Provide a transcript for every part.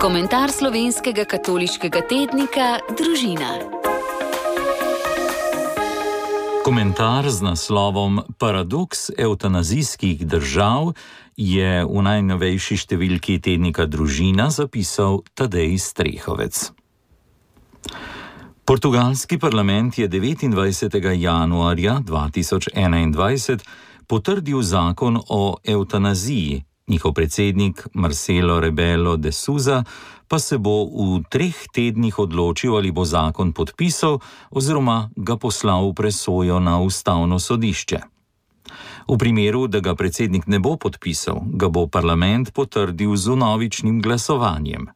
Komentar slovenskega katoliškega tednika Družina. Komentar z naslovom Paradoks evtanazijskih držav je v najnovejši številki tednika Družina zapisal Tadej Strehovec. Portugalski parlament je 29. januarja 2021 potrdil zakon o evtanaziji. Njihov predsednik Marcelo Rebelo de Sousa pa se bo v 3 tednih odločil, ali bo zakon podpisal oziroma ga poslal v presojo na ustavno sodišče. V primeru, da ga predsednik ne bo podpisal, ga bo parlament potrdil z vnovičnim glasovanjem.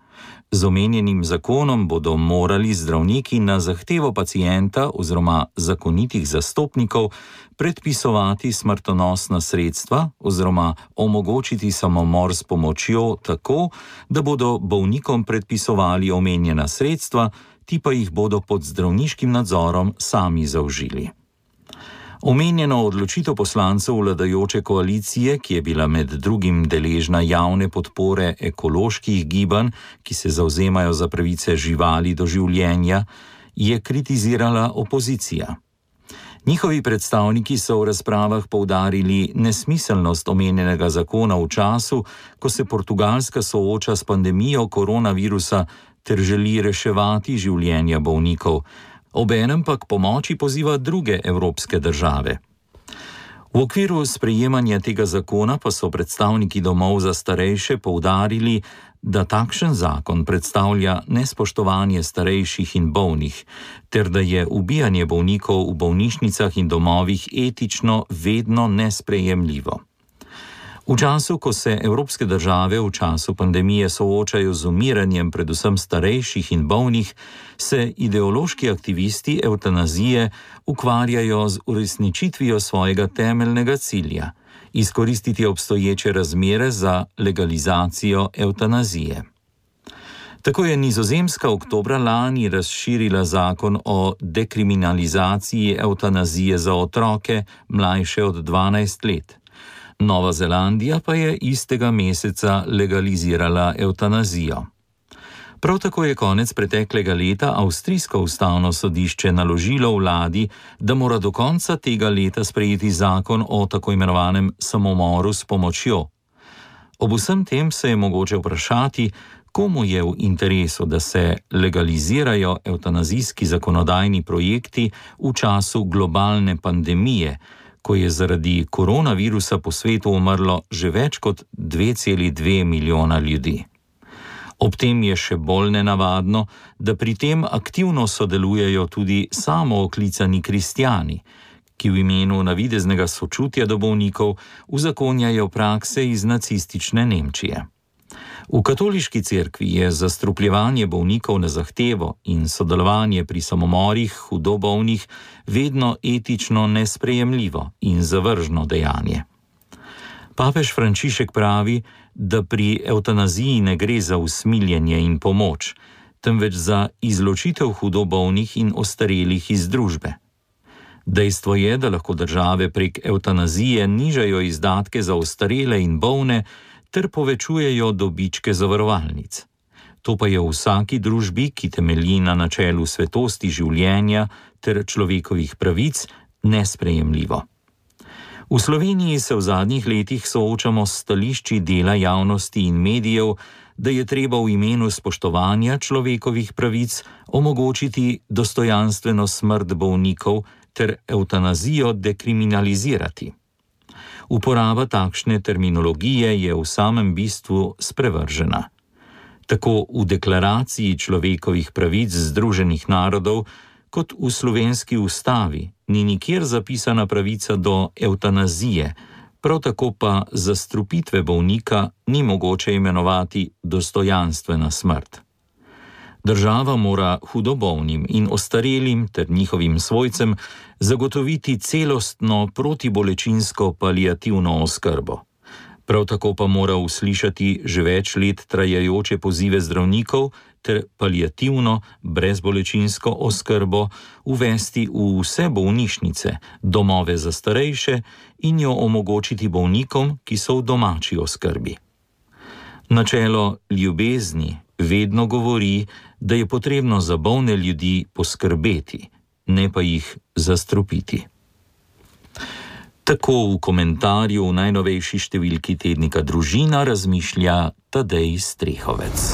Z omenjenim zakonom bodo morali zdravniki na zahtevo pacienta oziroma zakonitih zastopnikov predpisovati smrtonosna sredstva oziroma omogočiti samomor s pomočjo tako, da bodo bolnikom predpisovali omenjena sredstva, ti pa jih bodo pod zdravniškim nadzorom sami zaužili. Omenjeno odločitev poslancev vladajoče koalicije, ki je bila med drugim deležna javne podpore ekoloških gibanj, ki se zavzemajo za pravice živali do življenja, je kritizirala opozicija. Njihovi predstavniki so v razpravah poudarili nesmiselnost omenjenega zakona v času, ko se Portugalska sooča s pandemijo koronavirusa ter želi reševati življenja bolnikov. Obenem pa k pomoči poziva druge evropske države. V okviru sprejemanja tega zakona pa so predstavniki domov za starejše poudarili, da takšen zakon predstavlja nespoštovanje starejših in bolnih, ter da je ubijanje bolnikov v bolnišnicah in domovih etično vedno nesprejemljivo. V času, ko se evropske države v času pandemije soočajo z umiranjem predvsem starejših in bolnih, se ideološki aktivisti evtanazije ukvarjajo z uresničitvijo svojega temeljnega cilja – izkoristiti obstoječe razmere za legalizacijo evtanazije. Tako je Nizozemska oktobra lani razširila zakon o dekriminalizaciji evtanazije za otroke mlajše od 12 let. Nova Zelandija pa je istega meseca legalizirala evtanazijo. Prav tako je konec preteklega leta avstrijsko ustavno sodišče naložilo vladi, da mora do konca tega leta sprejeti zakon o tako imenovanem samomoru s pomočjo. Ob vsem tem se je mogoče vprašati, komu je v interesu, da se legalizirajo evtanazijski zakonodajni projekti v času globalne pandemije, ko je zaradi koronavirusa po svetu umrlo že več kot 2,2 milijona ljudi. Ob tem je še bolj nenavadno, da pri tem aktivno sodelujejo tudi samooklicani kristjani, ki v imenu navideznega sočutja do bolnikov uzakonjajo prakse iz nacistične Nemčije. V katoliški cerkvi je zastrupljevanje bolnikov na zahtevo in sodelovanje pri samomorih hudo bolnih vedno etično nesprejemljivo in zavržno dejanje. Papež Frančišek pravi, da pri evtanaziji ne gre za usmiljenje in pomoč, temveč za izločitev hudo bolnih in ostarelih iz družbe. Dejstvo je, da lahko države prek evtanazije nižajo izdatke za ostarele in bolne ter povečujejo dobičke zavarovalnic. To pa je v vsaki družbi, ki temelji na načelu svetosti življenja ter človekovih pravic, nesprejemljivo. V Sloveniji se v zadnjih letih soočamo s stališči dela javnosti in medijev, da je treba v imenu spoštovanja človekovih pravic omogočiti dostojanstveno smrt bolnikov ter evtanazijo dekriminalizirati. Uporaba takšne terminologije je v samem bistvu sprevržena. Tako v deklaraciji človekovih pravic Združenih narodov, kot v slovenski ustavi ni nikjer zapisana pravica do evtanazije, prav tako pa zastrupitve bolnika ni mogoče imenovati dostojanstvena smrt. Država mora hudobolnim in ostarelim ter njihovim svojcem zagotoviti celostno protibolečinsko paliativno oskrbo. Prav tako pa mora uslišati že več let trajajoče pozive zdravnikov ter paliativno brezbolečinsko oskrbo uvesti v vse bolnišnice, domove za starejše in jo omogočiti bolnikom, ki so v domači oskrbi. Načelo ljubezni, vedno govori, da je potrebno za bolne ljudi poskrbeti, ne pa jih zastrupiti. Tako v komentarju v najnovejši številki tednika Družina razmišlja Tadej Strehovec.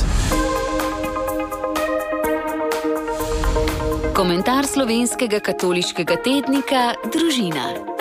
Komentar slovenskega katoliškega tednika Družina.